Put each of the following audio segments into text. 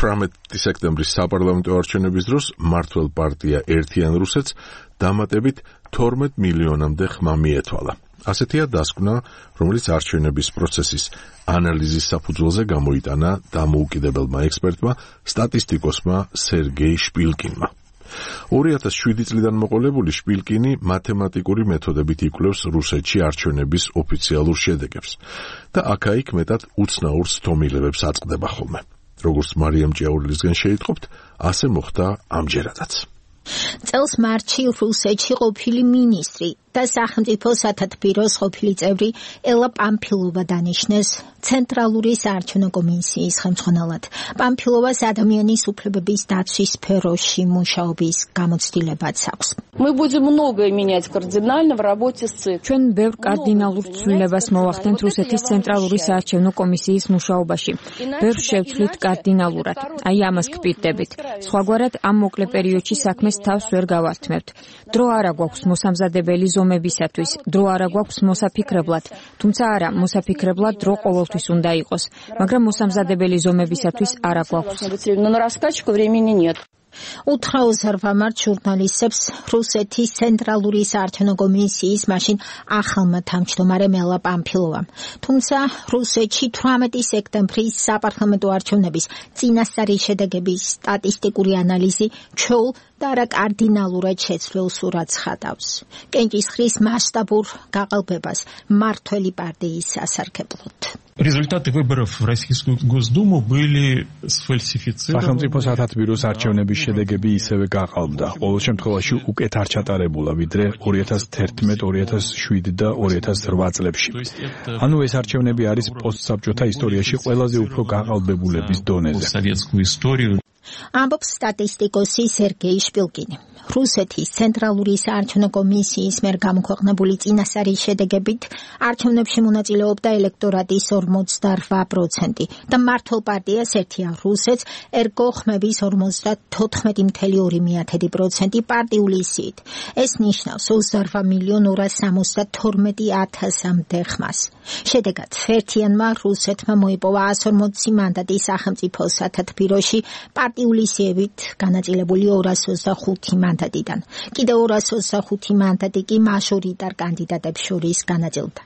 18 სექტემბრის საპარლამენტო არჩევნების დროს მმართველ პარტია ერთიან რუსეთს დამატებით 12 მილიონამდე ხმა მიეთვალა. ასეთია დასკვნა, რომელიც არჩევნების პროცესის ანალიზის საფუძველზე გამოიტანა დამოუკიდებელმა ექსპერტმა, სტატისტიკოსმა სერგეი შპილკინმა. 2007 წლიდან მოყოლებული შპილკინი მათემატიკური მეთოდებით იკვლევს რუსეთში არჩევნების ოფიციალურ შედეგებს და აქა-იქ მეტად უცნაურ სთომილებებს აწყდება ხოლმე. როგორც მარიამ ჭიაურელისგან შეიტყობთ, ასე მოხდა ამჯერადაც. წელს მარტში რუსეთში ყოფილი მინისტრი და სახელმწიფო სათათბიროს ყოფილი წევრი ელა პამფილოვა დანიშნეს ცენტრალური საარჩევნო კომისიის ხელმძღვანელად. პამფილოვას ადამიანის უფლებების დაცვის სფეროში მუშაობის გამოცდილებაც აქვს. Мы будем многое менять кардинально в работе с ЦИК. ჩვენ ბევრ კარდინალურ ცვლილებას მოვახდენთ რუსეთის ცენტრალური საარჩევნო კომისიის მუშაობაში. ბევრ შევცვლით კარდინალურად. აი ამას გპირდებით. სხვაგვარად ამ მოკლე პერიოდში საქმეს თავს ვერ გავართმევთ. დრო არა გვაქვს მოსამზადებელი ზომებისათვის, დრო არა გვაქვს მოსაფიქრებლად. თუმცა არა, მოსაფიქრებლად დრო ყოველთვის უნდა იყოს, მაგრამ მოსამზადებელი ზომებისათვის არა გვაქვს. უთხრაოსარვა მართ ჟურნალისტებს რუსეთის ცენტრალური საარჩევნო კომისიის მაშინ ახალმა თავმჯდომარემ ელა პამფილოვამ. თუმცა რუსეთში 18 სექტემბრის საპარლამენტო არჩევნების წინასწარი შედეგების სტატისტიკური ანალიზი ჩვეულ და არა კარდინალურად შეცვლილ სურათს ხატავს. კენჭისყრის მასშტაბურ გაყალბებას მმართველი პარტიის სასარგებლოდ. Результаты выборов в Российскую Госдуму были сфальсифицированы. სახელმწიფო სათათბიროს არჩევნების შედეგები ისევე გაყალბდა. ყოველ შემთხვევაში უკეთ არ ჩატარებულა, ვიდრე 2011, 2007 და 2008 წლებში. ანუ ეს არჩევნები არის პოსტსაბჭოთა ისტორიაში ყველაზე უფრო გაყალბებულების დონეზე. ამბობს სტატისტიკოსი სერგეი შპილკინი. რუსეთის ცენტრალური საარჩევნო კომისიის მიერ გამოქვეყნებული წინასწარი შედეგებით არჩევნებში მონაწილეობდა ელექტორატის 48% და მმართველ პარტიას ერთია რუსეთს ერგო ხმების 54.2% პარტიული სიით. ეს ნიშნავს 28,272,000-მდე ხმას. შედეგად ერთიანმა რუსეთმა მოიპოვა 140 მანდატი სახელმწიფო სათათბიროში პარტიული სიებით განაწილებული 225 მანდატიდან. კიდევ 225 მანდატი კი მაჟორიტარ კანდიდატებს შორის განაწილდა.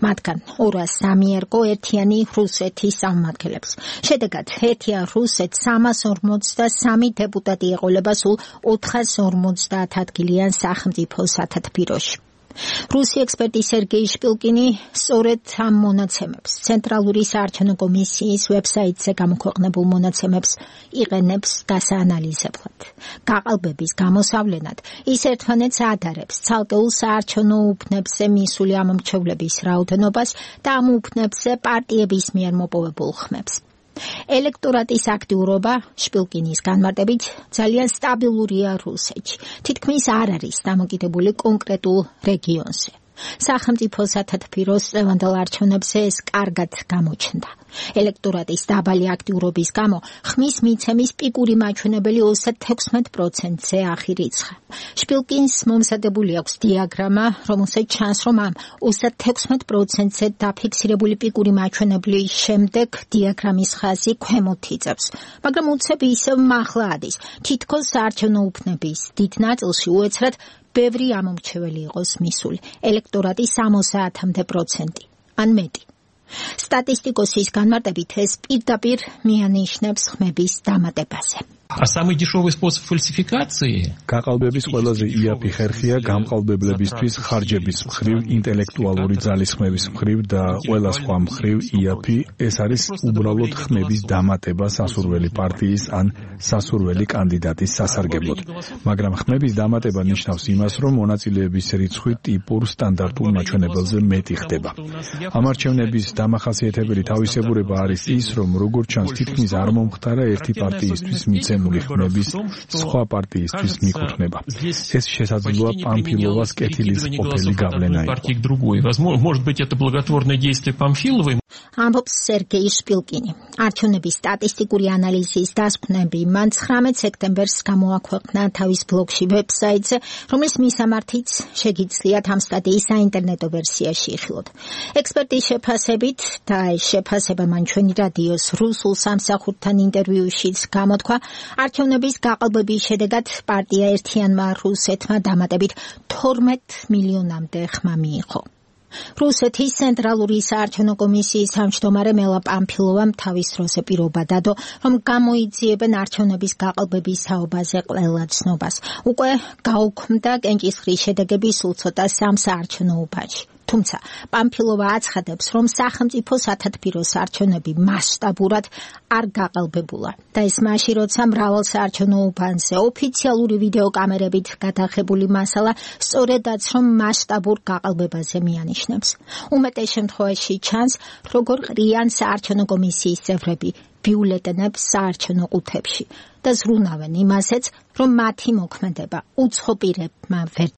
მათგან 203 ერგო ერთიანი რუსეთის წარმომადგენლებს. შედეგად ერთიან რუსეთს 343 დეპუტატი ეყოლება სულ 450 ადგილიან სახელმწიფო სათათბიროში. რუსი ექსპერტი სერგეი შპილკინი სწორედ ამ მონაცემებს, ცენტრალური საარჩევნო კომისიის ვებსაიტზე გამოქვეყნებულ მონაცემებს იყენებს დასაანალიზებლად. გაყალბების გამოსავლენად ის ერთმანეთს ადარებს ცალკეულ საარჩევნო უბნებზე მისული ამომრჩევლების რაოდენობას და ამ უბნებზე პარტიების მიერ მოპოვებულ ხმებს. ელექტორატის აქტიურობა შპილკინის განმარტებით ძალიან სტაბილურია რუსეთში. თითქმის არ არის დამოკიდებული კონკრეტულ რეგიონზე. სახელმწიფო სათათბიროს წლევანდელ არჩევნებზე ეს კარგად გამოჩნდა. ელექტორატის დაბალი აქტიურობის გამო ხმის მიცემის პიკური მაჩვენებელი 36%-ზე აღირიცხა. შპილკინს მომზადებული აქვს დიაგრამა, რომელსაც ჩანს, რომ ამ 36%-ზე დაფიქსირებული პიკური მაჩვენებლის შემდეგ დიაგრამის ხაზი ქვემოთ იწევს, მაგრამ უცებ ისევ მაღლა ადის. თითქოს საარჩევნო უბნების დიდ ნაწილში უეცრად ბევრი ამომრჩეველი იყოს მისული, ელექტორატის 60% ან მეტი. სტატისტიკოსის განმარტებით ეს პირდაპირ მიანიშნებს ხმების დამატებაზე. А самый дешевый способ фальсификации გაყალბების ყველაზე იაფი ხერხია გამყალბებლებისთვის ხარჯების მხრივ, ინტელექტუალური ძალისხმების მხრივ და ყველა სხვა მხრივ იაფი, ეს არის უბრალოდ ხმების დამატება სასურველი პარტიის ან სასურველი კანდიდატის სასარგებლოდ. მაგრამ ხმების დამატება ნიშნავს იმას, რომ მონაწილეების რიცხვი ტიპურ სტანდარტულ მაჩვენებელზე მეტი ხდება. ამ არჩევნების დამახასიათებელი თავისებურება არის ის, რომ როგორც ჩანს, თითქმის არ მომხდარა ერთი პარტიისთვის მიცემული ხმების სხვა პარტიისთვის მიკუთვნება. ეს შესაძლოა პამფილოვას კეთილის ყოფილი გავლენა იყო. Может быть, это благотворное действие Памфиловой. ამბობს სერგეი შპილკინი. არჩევნების სტატისტიკური ანალიზის დასკვნები მან 19 სექტემბერს გამოაქვეყნა თავის ბლოგში ვებსაიტზე, რომლის მისამართიც შეგიძლიათ ამ სტატიის საინტერნეტო ვერსიაში იხილოთ. ექსპერტის შეფასებით და ეს შეფასება მან ჩვენი რადიოს რუსულ სამსახურთან ინტერვიუშიც გამოთქვა, არჩევნების გაყალბების შედეგად პარტია ერთიანმა რუსეთმა დამატებით 12 მილიონამდე ხმა მიიღო. რუსეთის ცენტრალური საარჩევნო კომისიის თავმჯდომარე მელა პამფილოვამ თავის დროზე პირობა დადო, რომ გამოიძიებენ არჩევნების გაყალბების საუბაზე ყველა ცნობას. უკვე გაუქმდა კენჭისყრის შედეგები სულ ცოტა სამ საარჩევნო უბანში. თუმცა პამფილოვა აცხადებს, რომ სახელმწიფო სათათბირო არჩევნები მასშტაბურად არ გაყალბებულა და ეს მაშინ, როცა მრავალ საარჩევნო უბანზე ოფიციალური ვიდეო კამერებით გადაღებული მასალა სწორედაც რომ მასშტაბურ გაყალბებაზე მიანიშნებს. უმეტეს შემთხვევაში ჩანს, როგორ ყრიან საარჩევნო კომისიის წევრები ბიულეტენებს საარჩევნო ყუთებში და ზრუნავენ იმასაც, რომ მათი მოქმედება უცხო პირებმა ვერ